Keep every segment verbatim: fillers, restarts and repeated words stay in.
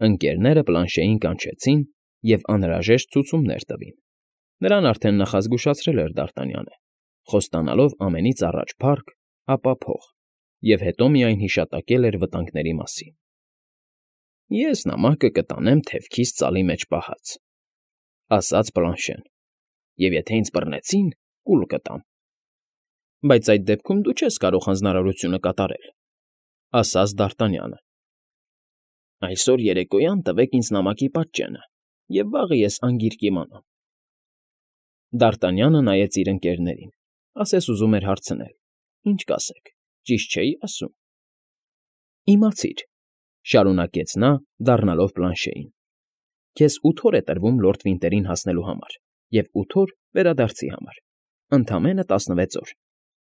Ընկերները Պլանշեին կանչեցին և անհրաժեշտ ցուցումներ տվին. նրան արդեն նախազգուշացրել էր Դարտանյանը, խոստանալով ամենից առաջ փառք, ապա փող, և հետո միայն հիշատակել էր վտանգների մասին։ ֊ Ես նամակը կտանեմ թևքիս ծալի մեջ պահած,֊ ասաց Պլանշեն,֊ և եթե ինձ բռնեցին, կուլ կտամ։ ֊ Բայց այդ դեպքում դու չես կարող հանձնարարությունը կատարել,֊ ասաց Դարտանյանը։ ֊ Այսօր երեկոյան տվեք ինձ նամակի պատճենը, և վաղը ես անգիր կիմանամ։ Դարտանյանը նայեց իր ընկերներին, ասես ուզում էր հարցնել. ինչ կասեք, ճիշտ չէի՞ ասում։ ֊ Իմացիր,֊ շարունակեց նա, դառնալով Պլանշեին,֊ քեզ ութ օր է տրվում Լորդ Վինտերին հասնելու համար և ութ օր վերադարձի համար, ընդամենը տասնվեց օր.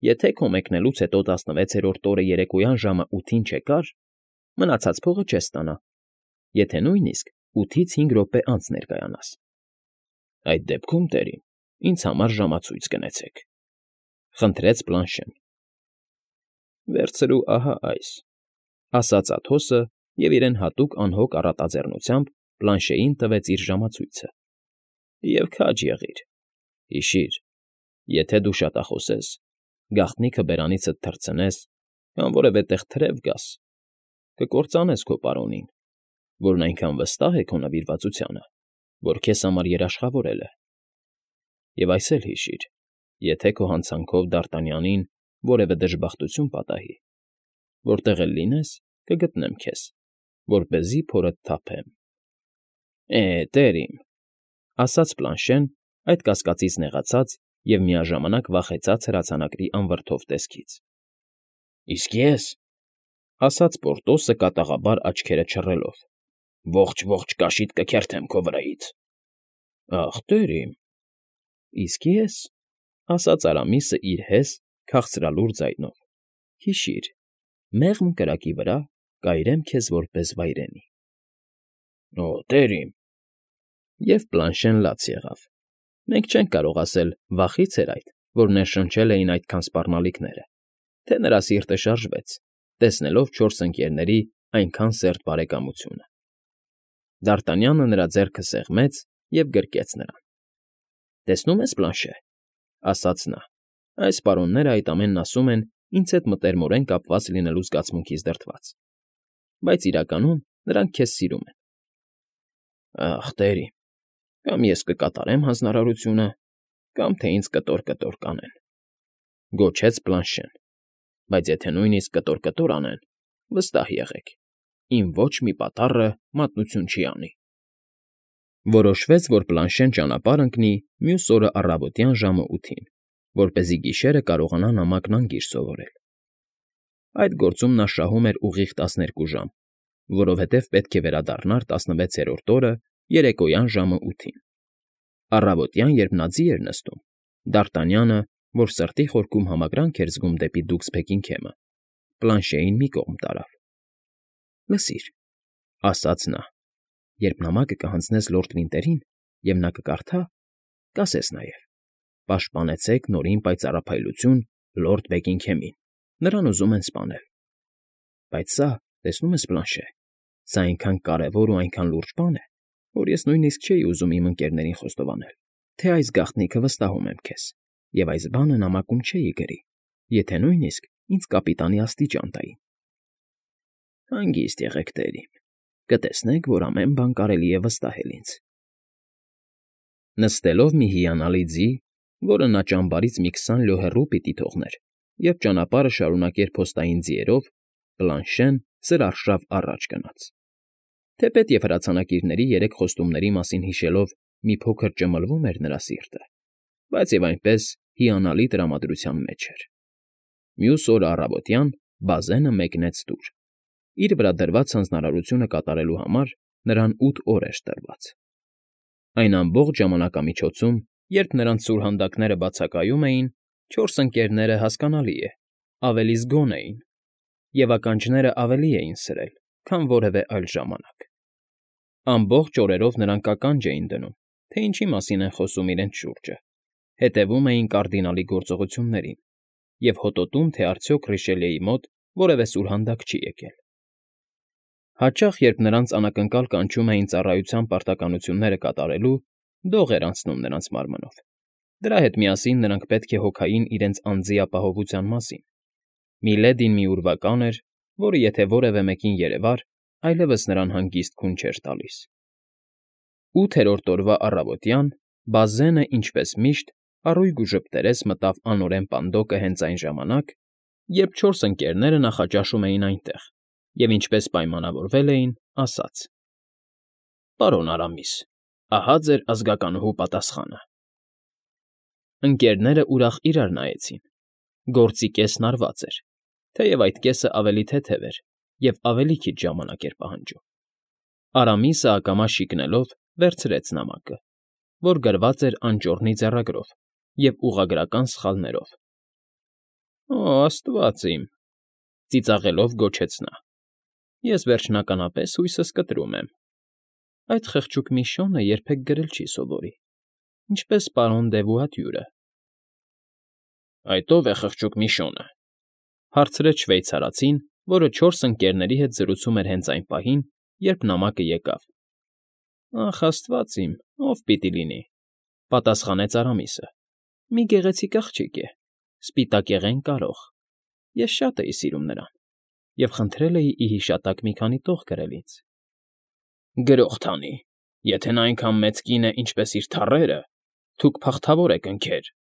եթե քո մեկնելուց հետո տասնվեցերորդ օրը երեկոյան ժամը ութին չեկար, մնացած փողը չես ստանա, եթե նույնիսկ ութից հինգ րոպե անց ներկայանաս։ ֊ Այդ դեպքում, տերին, ինձ համար ժամացույց գնեցեք,֊ խնդրեց Պլանշեն։ ֊ Վերցրու ահա այս,֊ ասաց Աթոսը և իրեն հատուկ անհոգ առատաձեռնությամբ Պլանշեին տվեց իր ժամացույցը,֊ և քաջ եղիր, հիշիր, եթե դու շատախոս ես, գաղտնիքը բերանիցդ թռցնես կամ որևէ տեղ թրև գաս, կկործանես քո պարոնին, որն այնքան վստահ է քո նվիրվածությանը, որ քեզ համար երաշխավորել է։ Եվ այս էլ հիշիր. եթե քո հանցանքով Դարտանյանին որևէ դժբախտություն պատահի, որտեղ էլ լինես, կգտնեմ քեզ, որպեսզի փորդ թափեմ։ ֊ Է, տեր իմ,֊ ասաց Պլանշեն, այդ կասկածից նեղացած և միաժամանակ վախեցած հրացանակրի անվրդով տեսքից։ ֊ Իսկ ես,֊ ասաց Պորտոսը կատաղաբար աչքերը չռելով,֊ ողջ֊ողջ կաշիդ կքերթեմ քո վրայից։ ֊ Ախ, տեր իմ… ֊ Իսկ ես,֊ ասաց Արամիսը իր հես, քաղցրալուր ձայնով,֊ հիշիր, մեղմ կրակի վրա կայրեմ քեզ որպես վայրենի։ ֊ Օ, տեր իմ… Եվ Պլանշեն լաց եղավ. մենք չենք կարող ասել վախի՞ց էր այդ, որ ներշնչել էին այդքան սպառնալիքները, թե նրա սիրտը շարժվեց, տեսնելով չորս ընկերների այնքան սերտ բարեկամությունը։ Դարտանյանը նրա ձեռքը սեղմեց և գրկեց նրան։ ֊ Տեսնում ես, Պլանշե,֊ ասաց նա,֊ այս պարոններն այդ ամենն ասում են ինձ հետ մտերմորեն կապված լինելու զգացմունքից դրդված, բայց իրականում նրանք քեզ սիրում են։ ֊ Ախ, տեր իմ… Կամ ես կկատարեմ հանձնարարությունը, կամ թե ինձ կտոր֊կտոր կանեն,֊ գոչեց Պլանշեն,֊ բայց եթե նույնիսկ կտոր֊կտոր անեն, վստահ եղեք, իմ ոչ մի պատառը մատնություն չի անի։ Որոշվեց, որ Պլանշեն ճանապարհ ընկնի մյուս օրը առավոտյան ժամը ութին, որպեսզի գիշերը կարողանա նամակն անգիր սովորել։ Այդ գործում նա շահում էր ուղիղ տասներկու ժամ, որովհետև պետք է վերադառնար տասնվեցերորդ օրը երեկոյան ժամը ութին։ Առավոտյան, երբ նա ձի էր նստում, Դարտանյանը, որ սրտի խորքում համակրանք էր զգում դեպի Դուքսբեկին քեմը, Պլանշեին մի կողմ տարավ։ ֊ Լսիր,֊ ասաց նա,֊ երբ նամակը կհանձնես Լորդ Վինտերին, և նա կկարդա, կասես նաև. «Պաշտպանեցեք Նորին պայծառափայլություն Լորդ Բեգինգհեմին, նրան ուզում են սպանել»։ Բայց սա, տեսնում ես, Պլանշե, սա այնքան կարևոր ու այնքան լուրջ բան է, որ ես նույնիսկ չէի ուզում իմ ընկերներին խոստովանել, թե այս գաղտնիքը վստահում եմ քեզ, և այս բանը նամակում չէի գրի, եթե նույնիսկ ինձ կապիտանի աստիճան տային։ ֊ Հանգիստ եղեք, տեր իմ, կտեսնեք, որ ամեն բան կարելի է վստահել ինձ։ Նստելով մի հիանալի ձի, որը նա ճամբարից մի քսան լյո հեռու պիտի թողներ, և ճանապարհը շարունակեր փոստային ձիերով, Պլանշեն սրարշավ առաջ գնաց։ Թեպետ և հրացանակիրների երեք խոստումների մասին հիշելով մի փոքր ճմլվում էր նրա սիրտը, բայց և այնպես հիանալի տրամադրության մեջ էր։ Մյուս օրը առավոտյան բազենը մեկնեց տուր։ Իր վրա դրված հանձնարարությունը կատարելու համար նրան ութ օր էր տրված։ Այն ամբողջ ժամանակամիջոցում, երբ նրանց սուրհանդակները բացակայում էին, չորս ընկերները, հասկանալի է, ավելի զգոն էին, և ականջները ավելի էին սրել, քան որևէ այլ ժամանակ։ Ամբողջ օրերով նրանք ականջ էին դնում, թե ինչի մասին են խոսում իրենց շուրջը, հետևում էին կարդինալի գործողություններին և հոտոտում, թե արդյոք Ռիշելիեի մոտ որևէ սուրհանդակ չի եկել։ Հաճախ, երբ նրանց անակնկալ կանչում էին ծառայության պարտականությունները կատարելու, դող էր անցնում նրանց մարմնով. դրա հետ միասին նրանք պետք է հոգային իրենց անձի ապահովության մասին. Միլեդին մի ուրվական էր, որը եթե որևէ մեկին երևար, այլևս նրան հանգիստ քուն չէր տալիս։ Ութերորդ օրվա առավոտյան Բազենը, ինչպես միշտ, առույգ ու ժպտերես մտավ անօրեն պանդոկը հենց այն ժամանակ, երբ չորս ընկերները նախաճաշում էին այնտեղ և, ինչպես պայմանավորվել էին, ասաց. «Պարոն Արամիս, ահա ձեր ազգականուհու պատասխանը»։ Ընկերները ուրախ իրար նայեցին. գործի կեսն արված էր, թեև այդ կեսը ավելի թեթև էր և ավելի քիչ ժամանակ էր պահանջում։ Արամիսը ակամա շիկնելով վերցրեց նամակը, որ գրված էր անճոռնի ձեռագրով և ուղղագրական սխալներով։ «Օ, աստված իմ», ծիծաղելով գոչեց նա, «ես վերջնականապես հույսս կտրում եմ. այդ խղճուկ Միշոնը երբեք գրել չի սովորի, ինչպես պարոն Դեվուատյուրը»։ «Այդ ո՞վ է խղճուկ Միշոնը», հարցրեց շվեյցարացին, որը չորս ընկերների հետ զրուցում էր հենց այն պահին, երբ նամակը եկավ։ «Ախ, աստված իմ, ո՞վ պիտի լինի», պատասխանեց Արամիսը։ «Մի գեղեցիկ աղջիկ է, սպիտակեղեն կարող, ես շատ էի սիրում նրան և խնդրել էի ի հիշատակ մի քանի տող գրել ինձ»։ «Գրող թանի, եթե նա այնքան մեծ կին է, ինչպես իր թառերը, թուք փախթավոր եք, ընկեր»,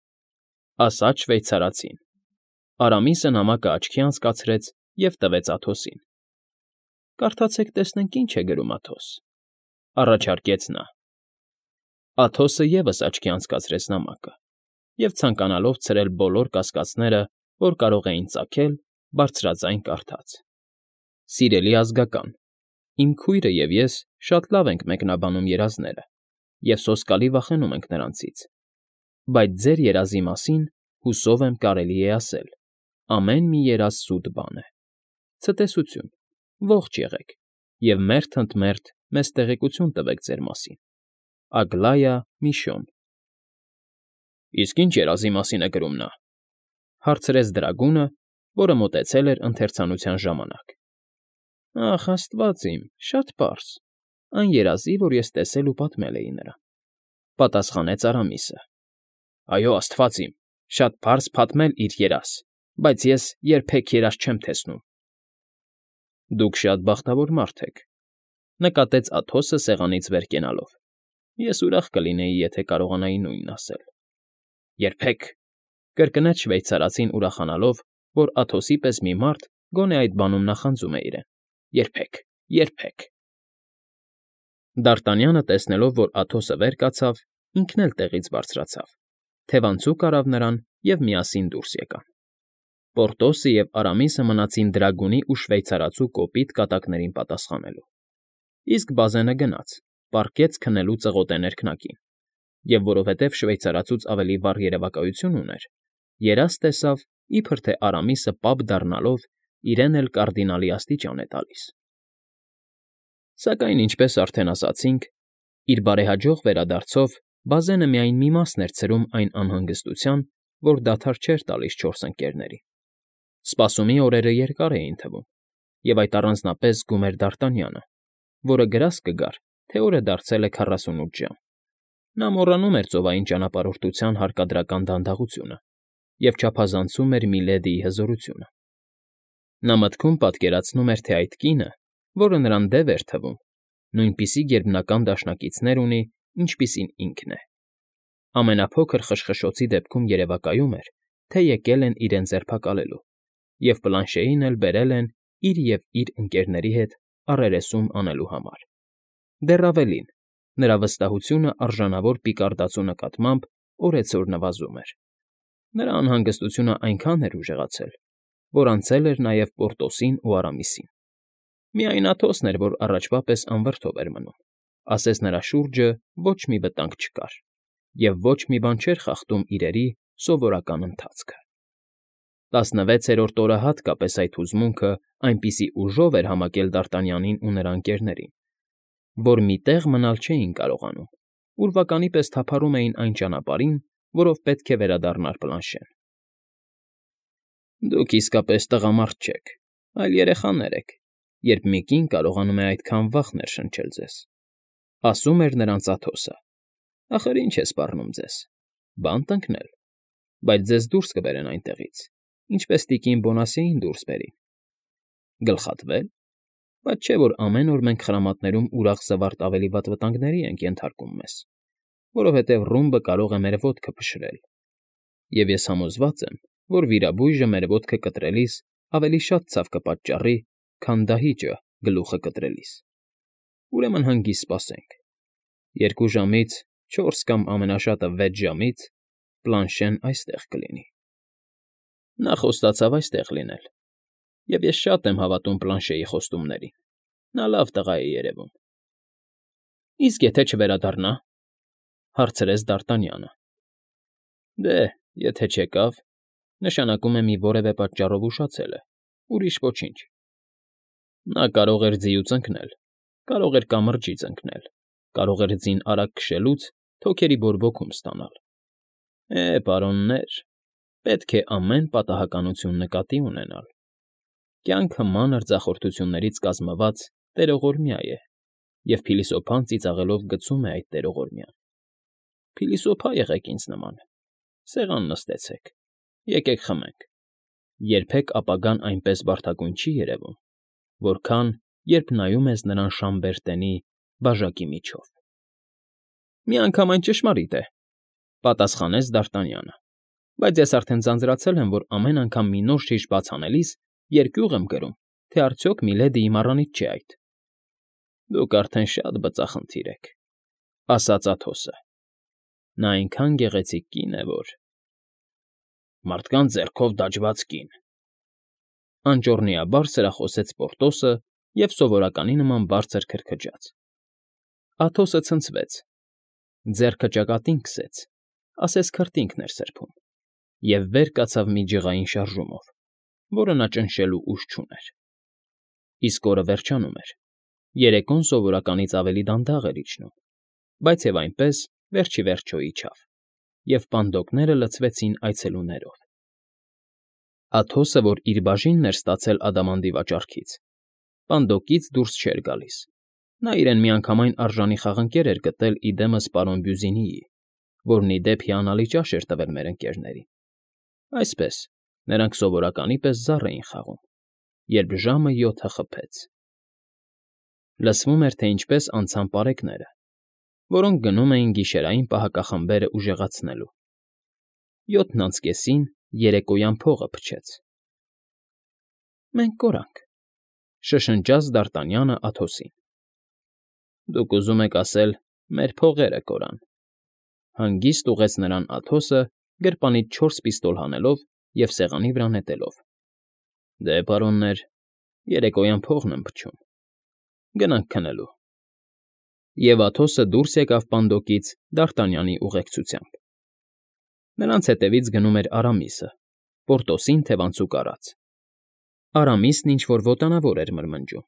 ասաց շվեյցարացին։ Արամիսը նամակը աչքի անցկացրեց և տվեց Աթոսին։ «Կարդացեք, տեսնենք ինչ է գրում Աթոս», առաջարկեց նա։ Աթոսը ևս աչքի անցկացրեց նամակը և, ցանկանալով ցրել բոլոր կասկածները, որ կարող էին ծագել, բարձրաձայն կարդաց. «Սիրելի ազգական, իմ քույրը և ես շատ լավ ենք մեկնաբանում երազները և սոսկալի վախենում ենք նրանցից, բայց ձեր երազի մասին, հուսով եմ, կարելի է ասել. ամեն մի երազ սուտ բան է։ Ցտեսություն, ողջ եղեք և մերթ ընդ մերթ մեզ տեղեկություն տվեք ձեր մասին։ Ագլայա Միշոն»։ «Իսկ ի՞նչ երազի մասին է գրում նա», հարցրեց Դրագունը, որը մոտեցել էր ընթերցանության ժամանակ։ «Ախ, աստված իմ, շատ պարզ, այն երազի, որ ես տեսել ու պատմել էի նրան», պատասխանեց Արամիսը։ «Այո, աստված իմ, շատ պարզ պատմել իր երազ, բայց ես երբեք երազ չեմ տեսնում»։ «Դուք շատ բախտավոր մարդ եք», նկատեց Աթոսը սեղանից վեր կենալով։ «Ես ուրախ կլինեի, եթե կարողանայի նույնն ասել»։ «Երբեք», կրկնեց շվեյցարացին ուրախանալով, որ Աթոսի պես մի մարդ գոնե այդ բանում նախանձում է իրեն, «երբեք, երբեք»։ Դարտանյանը, տեսնելով, որ Աթոսը վեր կացավ, ինքն էլ տեղից բարձրացավ, թևանցուկ արավ նրան և միասին դուրս եկան։ Պորտոսը և Արամիսը մնացին Դրագունի ու շվեյցարացու կոպիտ կատակներին պատասխանելու, իսկ Բազենը գնաց, պառկեց քնելու ծղոտե ներքնակին և, որովհետև շվեյցարացուց ավելի վառ երևակայություն ուներ, երազ տեսավ, իբր թե Արամիսը պապ դառնալով իրեն էլ կարդինալի աստիճան է տալիս։ Սակայն, ինչպես արդեն ասացինք, իր բարեհաջող վերադարձով Բազենը միայն մի մասն էր ցրում այն անհանգստության, որ դադար չէր տալիս չորս ընկերներին։ Սպասումի օրերը երկար էին թվում, և այդ առանձնապես զգում էր Դարտանյանը, որը գրազ կգար, թե օրը դարձել է քառասունութ ժամ։ Նա մոռանում էր ծովային ճանապարհորդության հարկադրական դանդաղությունը և չափազանցում էր Միլեդիի հզորությունը։ Նա մտքում պատկերացնում էր, թե այդ կինը, որը նրան դև էր թվում, նույնպիսի գերբնական դաշնակիցներ ունի, ինչպիսին ինքն է։ Ամենափոքր խշխշոցի դեպքում երևակայում էր, թե եկել են իրեն ձերբակալելու և պլանշեին էլ բերել են իր և իր ընկերների հետ առերեսում անելու համար։ Դեռ ավելին, նրա վստահությունը արժանավոր պիկարդացու նկատմամբ օրեցօր նվազում էր։ Նրա անհանգստությունն այնքան էր ուժեղացել, որ անցել էր նաև Պորտոսին ու Արամիսին։ Միայն Աթոսն էր, որ առաջվա պես անվրդով էր մնում, ասես նրա շուրջը ոչ մի վտանգ չկար և ոչ մի բան չէր խախտում իրերի սովորական ընթացքը։ Տասնվեցերորդ օրը հատկապես այդ հուզմունքը այնպիսի ուժով էր համակել Դարտանյանին ու նրա ընկերներին, որ մի տեղ մնալ չէին կարողանում, ուրվականի պես թափառում էին այն ճանապարհին, որով պետք է վերադառնար Պլանշեն։ «Դուք իսկապես տղամարդ չեք, այլ երեխաներ եք երբ մի կին կարողանում է այդքան վաղ ներշնչել ձեզ,֊ ասում էր նրանց Աթոսը։֊ Ախր ինչ է սպառնում ձեզ, բանտ ընկնել, բայց ձեզ դուրս կբերեն այնտեղից, ինչպես տիկին Բոնասիեին դուրս բերին։ Գլխատվե՞լ, բայց չէ՞ որ ամեն օր մենք խրամատներում ուրախ զվարթ ավելի վատ վտանգների ենք ենթարկում մեզ, որովհետև ռումբը կարող է մեր ոտքը փշրել, և ես համոզված եմ, որ վիրաբույժը մեր ոտքը կտրելիս ավելի շատ ցավ կպատճառի, քան դահիճը գլուխը կտրելիս։ Ուրեմն հանգիստ սպասենք. երկու ժամից չորս կամ ամենաշատը վեց ժամից Պլանշեն այստեղ կլինի։ Նա խոստացավ այստեղ լինել, և ես շատ եմ հավատում Պլանշեի խոստումներին, նա լավ տղա է երևում։ ֊ Իսկ եթե չվերադառնա,֊ հարցրեց Դ'Արտանյանը։ ֊ Դե, եթե չեկավ, նշանակում է մի որևէ պատճառով ուշացել է, ուրիշ ոչինչ։ Նա կարող էր ձիուց ընկնել, կարող էր կամրջից ընկնել, կարող էր ձին արագ քշելուց թոքերի բորբոքում ստանալ։ Է, պարոններ, պետք է ամեն պատահականություն նկատի ունենալ։ Կյանքը մանր ձախորդություններից կազմված տերողորմյա է, և փիլիսոփան ծիծաղելով գցում է այդ տերողորմյան։ Փիլիսոփա եղեք ինձ նման, սեղան նստեցեք, եկեք խմենք, երբեք ապագան այնպես բարդագույն չի երևում, որքան, երբ նայում ես նրան Շամբերտենի բաժակի միջով։ ֊ Միանգամայն ճշմարիտ է,֊ պատասխանեց Դ'Արտանյանը,֊ բայց ես արդեն ձանձրացել եմ, որ ամեն անգամ մի նոր շիշ բաց անելիս երկյուղ եմ կրում, թե արդյոք Միլեդիի մառանից չէ այդ։ ֊ Դուք արդեն շատ բծախնդիր եք,֊ ասաց Աթոսը։ Նա այնքան գեղեցիկ կին է, որ… Մարդկանց ձեռքով դաջված կին,֊ անճոռնիաբար սրախոսեց Պորտոսը և սովորականի նման բարձր քրքջաց։ Աթոսը ցնցվեց, ձեռքը ճակատին քսեց, ասես քրտինքն էր սրբում, և վեր կացավ մի ջղային շարժումով, որը նա ճնշելու ուժ չուներ։ Իսկ օրը վերջանում էր, երեկոն սովորականից ավելի դանդաղ էր իջնում, բայց և այնպես վերջ ի վերջո իջավ, և պանդոկները լցվեցին այցելուներով։ Աթոսը, որ իր բաժինն էր ստացել ադամանդի վաճառքից, պանդոկից դուրս չէր գալիս։ Նա իրեն միանգամայն արժանի խաղընկեր էր գտել ի դեմս պարոն Բյուզինիի, որն ի դեպ հիանալի ճաշ էր տվել մեր ընկերներին։ Այսպես, նրանք սովորականի պես զառ էին խաղում, երբ ժամը յոթը խփեց։ Լսվում էր, թե ինչպես անցան պարեկները, որոնք գնում էին գիշերային պահակախմբերը ուժեղացնելու։ Յոթն անց կեսին երեկոյան փողը փչեց։ ֊ Մենք կորանք,֊ շշնջաց Դ'Արտանյանը Աթոսին։ ֊ Դուք ուզում եք ասել մեր փողերը կորան,֊ հանգիստ ուղղեց նրան Աթոսը, գրպանից չորս պիստոլ հանելով և սեղանի վրա նետելով։ ֊ Դե, պարոններ, երեկոյան փողն եմ փչում, գնանք քնելու։ Եվ Աթոսը դուրս եկավ պանդոկից Դ'Արտանյանի ուղեկցությամբ։ Նրանց հետևից գնում էր Արամիսը, Պորտոսին թևանցուկ առած։ Արամիսն ինչ֊որ ոտանավոր էր մրմնջում,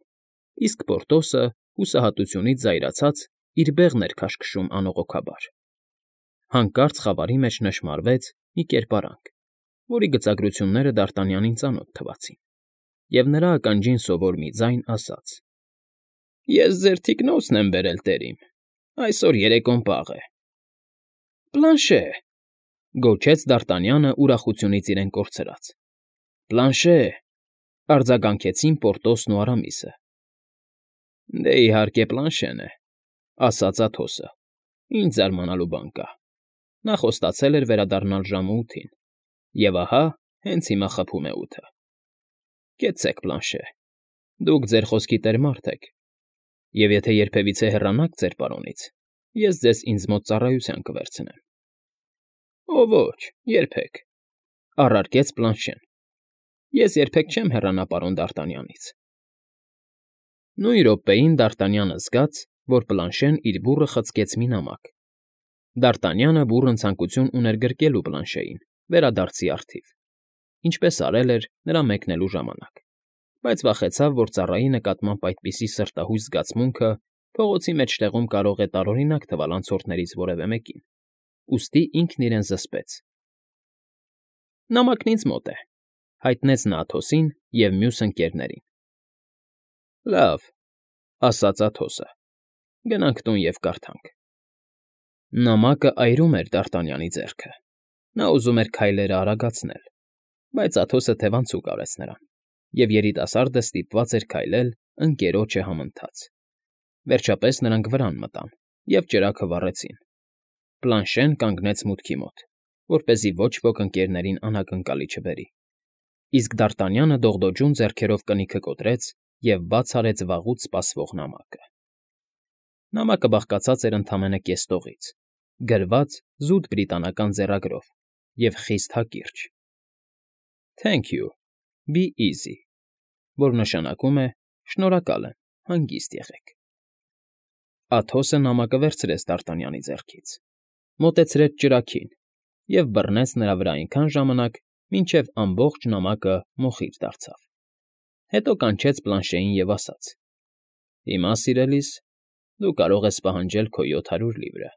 իսկ Պորտոսը, հուսահատությունից զայրացած, իր բեղն էր քաշքշում անողոքաբար։ Հանկարծ խավարի մեջ նշմարվեց մի կերպարանք, որի գծագրությունները Դ'Արտանյանին ծանոթ թվացին, և նրա ականջին սովոր մի ձայն ասաց. «Ես ձեր թիկնոցն եմ բերել, տերիմ, այսօր երեկոն պաղ է»։ ֊ Պլանշե՛,֊ գոչեց Դ'Արտանյանը ուրախությունից իրեն կորցրած։ ֊ Պլանշե՛,֊ արձագանքեցին Պորտոսն ու Արամիսը։ ֊ Դե, իհարկե, Պլանշեն է,֊ ասաց Աթոսը։ ֊ Ինչ զարմանալու բան կա. նա խոստացել էր վերադառնալ ժամը ութին, և ահա հենց հիմա խփում է ութը։ Կեցցեք, Պլանշե, դուք ձեր խոսքի տեր մարդ եք, և եթե երբևիցե հեռանաք ձեր պարոնից, ես ձեզ ինձ մոտ ծառայության կվերցնեմ։ ֊ Օ, ոչ, երբեք,֊ առարկեց Պլանշեն։ ֊ Ես երբեք չեմ հեռանա պարոն Դ'Արտանյանից։ Նույն րոպեին Դ'Արտանյանը զգաց, որ Պլանշեն իր բուռը խցկեց մի նամակ։ Դ'Արտանյանը բուռն ցանկություն ուներ գրկելու Պլանշեին, վերադարձի առթիվ, ինչպես արել էր նրա մեկնելու ժամանակ, բայց վախեցավ, որ ծառայի նկատմամբ այդպիսի սրտահույս զգացմունքը փողոցի մեջտեղում կարող է տարօրինակ թվալ անցորդներից որևէ մեկին, ուստի ինքն իրեն զսպեց։ ֊ Նամակն ինձ մոտ է,֊ հայտնեց նա Աթոսին և մյուս ընկերներին։ Լավ,֊ ասաց Աթոսը։֊ Գնանք տուն և կարդանք։ Նամակը այրում էր Դ'Արտանյանի ձեռքը։ Նա ուզում էր քայլերը արագացնել, բայց Աթոսը թևանցուկ արեց նրան, և երիտասարդը ստիպված էր քայլել ընկերոջը համընթաց։ Վերջապես նրանք վրան մտան և ճրագը վառեցին։ Պլանշեն կանգնեց մուտքի մոտ, որպեսզի ոչ ոք ընկներներին անակնկալի չբերի, իսկ Դ'Արտանյանը դողդոջուն ձեռքերով կնիքը կոտրեց և բաց արեց վաղուց սպասվող նամակը։ Նամակը բաղկացած էր ընդամենը կես տողից, գրված զուտ բրիտանական ձեռագրով և խիստ հակիրճ. Thank you, be easy, որ նշանակում է «Շնորհակալ եմ, հանգիստ եղեք»։ Աթոսը նամակը վերցրեց Դ'Արտանյանի ձեռքից, մոտեցրեց ճրագին և բռնեց նրա վրա այնքան ժամանակ, մինչև ամբողջ նամակը մոխիր դարձավ։ Հետո կանչեց Պլանշեին և ասաց. «Հիմա, սիրելիս, դու կարող ես պահանջել քո յոթ հարյուր լիվրը,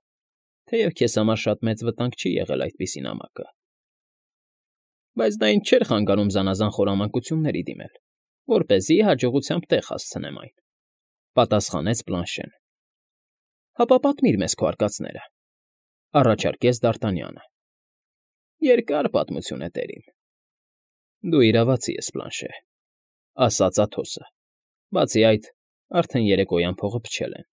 թեև քեզ համար շատ մեծ վտանգ չի եղել այդպիսի նամակը»։ Բայց դա ինձ չէր խանգարում զանազան խորամանկությունների դիմել, որպեսզի հաջողությամբ տեղ հասցնեմ այն,֊ պատասխանեց Պլանշեն։ ֊ Հապա պատմիր մեզ քո արկածները,֊ առաջարկեց Դ'Արտանյանը։ ֊ Երկար պատմություն է, տերին։ ֊ Դու իրավացի ես, Պլանշե,֊ ասաց Աթոսը։ Բացի այդ, արդեն երեկոյան փողը փչել են,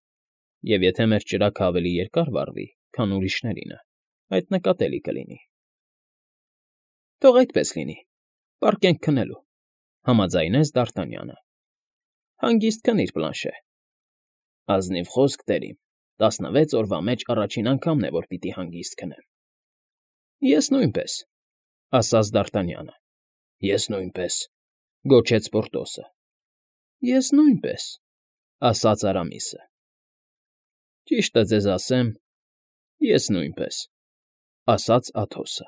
և եթե մեր ճրագն ավելի երկար վառվի, քան ուրիշներինը, այդ նկատելի կլինի։ ֊ Թող այդպես լինի, պառկենք քնելու,֊ համաձայնեց Դ'Արտանյանը։ ֊ Հանգիստ քնիր, Պլանշե։ ֊ Ազնիվ խոսք, տերին, տասնվեց օրվա մեջ առաջին անգամն է, որ պիտի հանգիստ քնեմ։ ֊ Ես նույնպես,֊ ասաց Դ'Արտանյանը։ ֊ Ես նույնպես,֊ գոչեց Պորտոսը։ ֊ Ես նույնպես,֊ ասաց Արամիսը։ ֊ Ճիշտը ձեզ ասեմ, ես նույնպես,֊ ասաց Աթոսը։